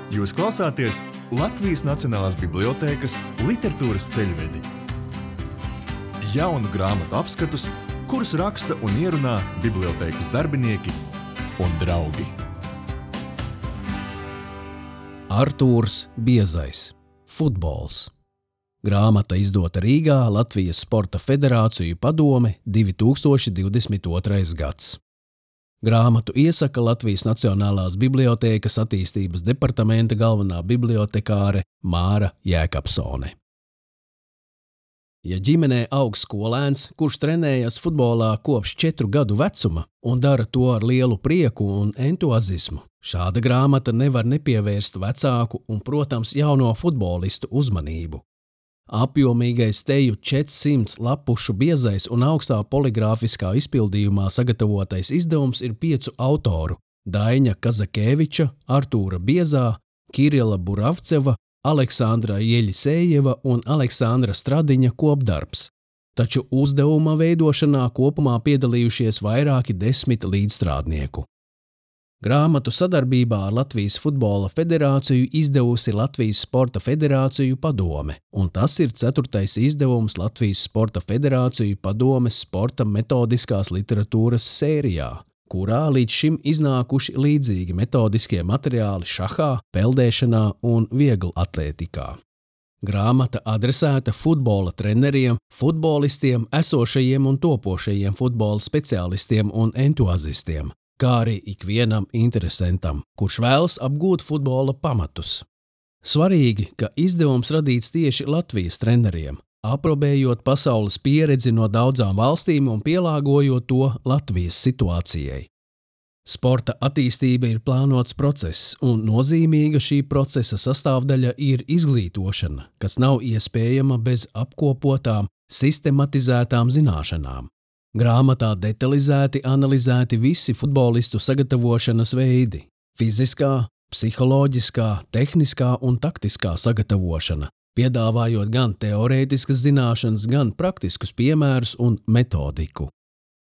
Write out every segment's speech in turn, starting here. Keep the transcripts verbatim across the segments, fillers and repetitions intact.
Jūs klausāties Latvijas Nacionālās bibliotēkas literatūras ceļvedi. Jaunu grāmatu apskatus, kurus raksta un ierunā bibliotēkas darbinieki un draugi. Artūrs Biezais. Futbols. Grāmata izdota Rīgā, Latvijas Sporta Federāciju padome, divi tūkstoši divdesmit otrais gads. Grāmatu iesaka Latvijas Nacionālās bibliotēkas attīstības departamenta galvenā bibliotekāre Māra Jēkabsone. Ja ģimenē aug skolēns, kurš trenējas futbolā kopš četru gadu vecuma un dara to ar lielu prieku un entuazismu, šāda grāmata nevar nepievērst vecāku un, protams, jauno futbolistu uzmanību. Apjomīgais teju četrsimt lapušu biezais un augstā poligrāfiskā izpildījumā sagatavotais izdevums ir piecu autoru – Daņa Kazakēviča, Artūra Biezā, Kirila Buravceva, Aleksandra Jeļisējeva un Aleksandra Stradiņa kopdarbs, taču uzdevuma veidošanā kopumā piedalījušies vairāki desmit līdzstrādnieku. Grāmatu sadarbībā ar Latvijas Futbola Federāciju izdevusi Latvijas Sporta Federāciju padome, un tas ir ceturtais izdevums Latvijas Sporta Federāciju padomes sporta metodiskās literatūras sērijā, kurā līdz šim iznākuši līdzīgi metodiskie materiāli šahā, peldēšanā un vieglatlētikā. Grāmata adresēta futbola treneriem, futbolistiem, esošajiem un topošajiem futbola speciālistiem un entuazistiem, kā arī ikvienam interesentam, kurš vēlas apgūt futbola pamatus. Svarīgi, ka izdevums radīts tieši Latvijas treneriem, aprobējot pasaules pieredzi no daudzām valstīm un pielāgojot to Latvijas situācijai. Sporta attīstība ir plānots process, un nozīmīga šī procesa sastāvdaļa ir izglītošana, kas nav iespējama bez apkopotām, sistematizētām zināšanām. Grāmatā detalizēti analizēti visi futbolistu sagatavošanas veidi – fiziskā, psiholoģiskā, tehniskā un taktiskā sagatavošana, piedāvājot gan teorētiskas zināšanas, gan praktiskus piemērus un metodiku.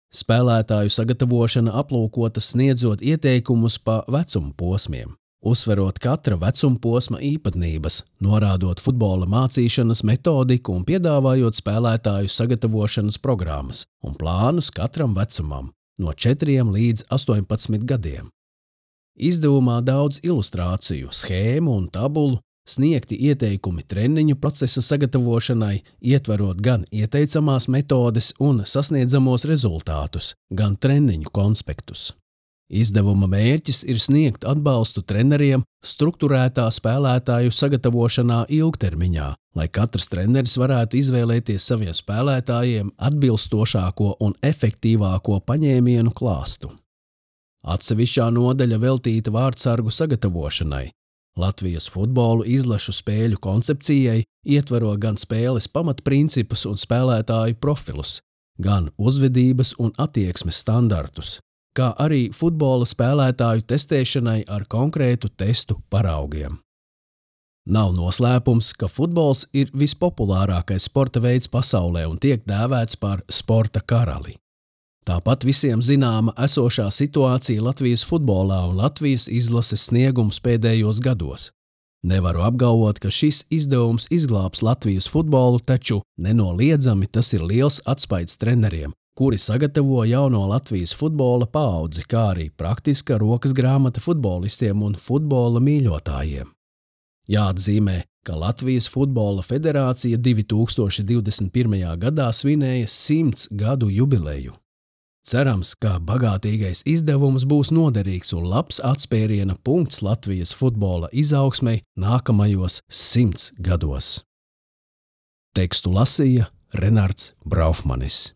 Spēlētāju sagatavošana aplūkota sniedzot ieteikumus pa vecuma posmiem, uzsverot katra vecuma posma īpatnības, norādot futbola mācīšanas metodiku un piedāvājot spēlētāju sagatavošanas programmas un plānus katram vecumam, no četriem līdz astoņpadsmit gadiem. Izdevumā daudz ilustrāciju, schēmu un tabulu, sniegti ieteikumi treniņu procesa sagatavošanai, ietverot gan ieteicamās metodes un sasniedzamos rezultātus, gan treniņu konspektus. Izdevuma mērķis ir sniegt atbalstu treneriem strukturētā spēlētāju sagatavošanā ilgtermiņā, lai katrs treneris varētu izvēlēties saviem spēlētājiem atbilstošāko un efektīvāko paņēmienu klāstu. Atsevišķā nodaļa veltīta vārdsargu sagatavošanai, Latvijas futbolu izlašu spēļu koncepcijai, ietvero gan spēles pamatprincipus un spēlētāju profilus, gan uzvedības un attieksmes standartus, kā arī futbola spēlētāju testēšanai ar konkrētu testu paraugiem. Nav noslēpums, ka futbols ir vispopulārākais sporta veids pasaulē un tiek dēvēts par sporta karali. Tāpat visiem zināma esošā situācija Latvijas futbolā un Latvijas izlases sniegums pēdējos gados. Nevaru apgalvot, ka šis izdevums izglābs Latvijas futbolu, taču nenoliedzami tas ir liels atspaids treneriem, kuri sagatavo jauno Latvijas futbola paudzi, kā arī praktiska rokas grāmata futbolistiem un futbola mīļotājiem. Jāatzīmē, ka Latvijas Futbola Federācija divi tūkstoši divdesmit pirmajā gadā svinēja simts gadu jubileju. Cerams, ka bagātīgais izdevums būs noderīgs un labs atspēriena punkts Latvijas futbola izaugsmei nākamajos simts gados. Tekstu lasīja Renards Braufmanis.